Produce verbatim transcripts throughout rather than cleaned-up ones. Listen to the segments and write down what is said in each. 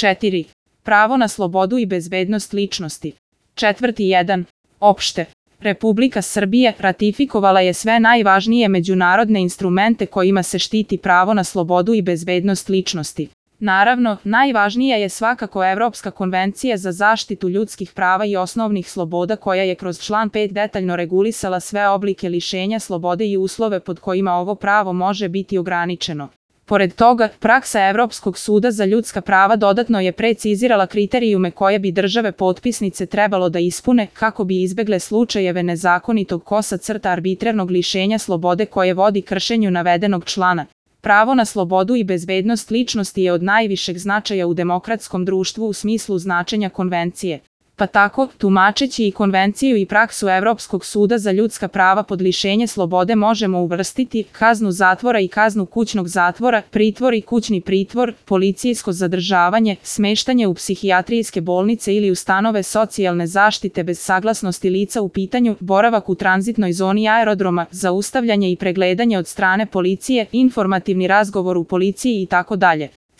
četiri. Pravo na slobodu i bezbednost ličnosti. Četvrti jedan. Opšte. Republika Srbije ratifikovala je sve najvažnije međunarodne instrumente kojima se štiti pravo na slobodu i bezbednost ličnosti. Naravno, najvažnija je svakako Evropska konvencija za zaštitu ljudskih prava i osnovnih sloboda koja je kroz član pet detaljno regulisala sve oblike lišenja slobode i uslove pod kojima ovo pravo može biti ograničeno. Pored toga, praksa Evropskog suda za ljudska prava dodatno je precizirala kriterijume koje bi države potpisnice trebalo da ispune kako bi izbegle slučajeve nezakonitog kosa crta arbitrarnog lišenja slobode koje vodi kršenju navedenog člana. Pravo na slobodu i bezbednost ličnosti je od najvišeg značaja u demokratskom društvu u smislu značenja konvencije. Pa tako, tumačeći i konvenciju i praksu Evropskog suda za ljudska prava pod lišenje slobode možemo uvrstiti kaznu zatvora i kaznu kućnog zatvora, pritvor i kućni pritvor, policijsko zadržavanje, smeštanje u psihijatrijske bolnice ili ustanove socijalne zaštite bez saglasnosti lica u pitanju, boravak u tranzitnoj zoni aerodroma, zaustavljanje i pregledanje od strane policije, informativni razgovor u policiji itd.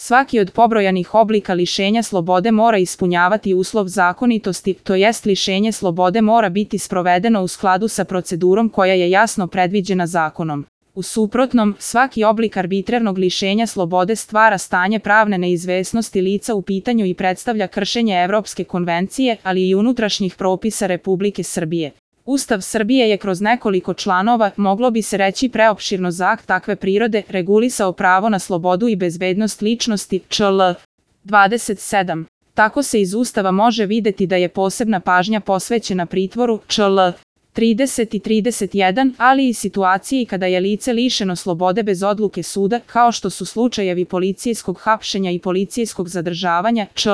Svaki od pobrojanih oblika lišenja slobode mora ispunjavati uslov zakonitosti, to jest lišenje slobode mora biti sprovedeno u skladu sa procedurom koja je jasno predviđena zakonom. U suprotnom, svaki oblik arbitrarnog lišenja slobode stvara stanje pravne neizvesnosti lica u pitanju i predstavlja kršenje Evropske konvencije, ali i unutrašnjih propisa Republike Srbije. Ustav Srbije je kroz nekoliko članova, moglo bi se reći preopširno za akt takve prirode, regulisao pravo na slobodu i bezbednost ličnosti, čl. dvadeset sedam. Tako se iz Ustava može videti da je posebna pažnja posvećena pritvoru, čl. trideset i trideset jedan, ali i situaciji kada je lice lišeno slobode bez odluke suda, kao što su slučajevi policijskog hapšenja i policijskog zadržavanja, čl.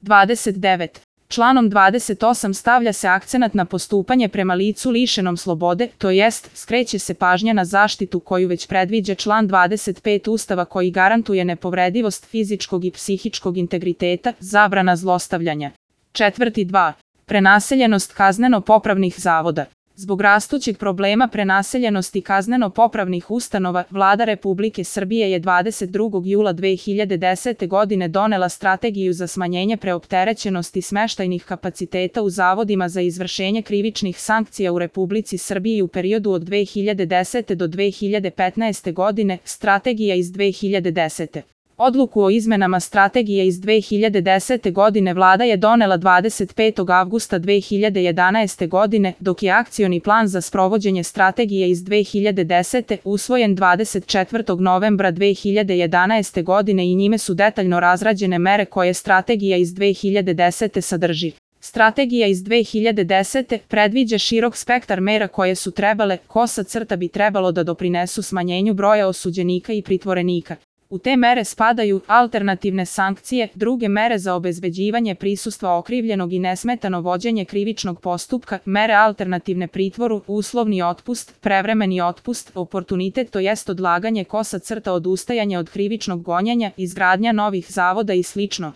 dvadeset devet. Članom dvadeset osam stavlja se akcenat na postupanje prema licu lišenom slobode, to jest, skreće se pažnja na zaštitu koju već predviđa član dvadeset pet Ustava koji garantuje nepovredivost fizičkog i psihičkog integriteta, zabrana zlostavljanja. Četvrti dva. Prenaseljenost kazneno-popravnih zavoda. Zbog rastućeg problema prenaseljenosti kazneno-popravnih ustanova, Vlada Republike Srbije je dvadeset drugog jula dve hiljade desete. godine donela strategiju za smanjenje preopterećenosti smeštajnih kapaciteta u zavodima za izvršenje krivičnih sankcija u Republici Srbiji u periodu od dve hiljade desete. do dve hiljade petnaeste. godine, strategija iz dve hiljade desete. Odluku o izmenama strategije iz dve hiljade desete. godine Vlada je donela dvadeset petog avgusta dve hiljade jedanaeste. godine, dok je akcioni plan za sprovođenje strategije iz dve hiljade desete. usvojen dvadeset četvrtog novembra dve hiljade jedanaeste. godine i njime su detaljno razrađene mere koje strategija iz dve hiljade desete. sadrži. Strategija iz dve hiljade desete. predviđa širok spektar mera koje su trebale, kosa crta bi trebalo da doprinesu smanjenju broja osuđenika i pritvorenika. U te mere spadaju alternativne sankcije, druge mere za obezbeđivanje prisustva okrivljenog i nesmetano vođenje krivičnog postupka, mere alternativne pritvoru, uslovni otpust, prevremeni otpust, oportunitet, to jest odlaganje kosa crta, odustajanje od krivičnog gonjenja, izgradnja novih zavoda i slično.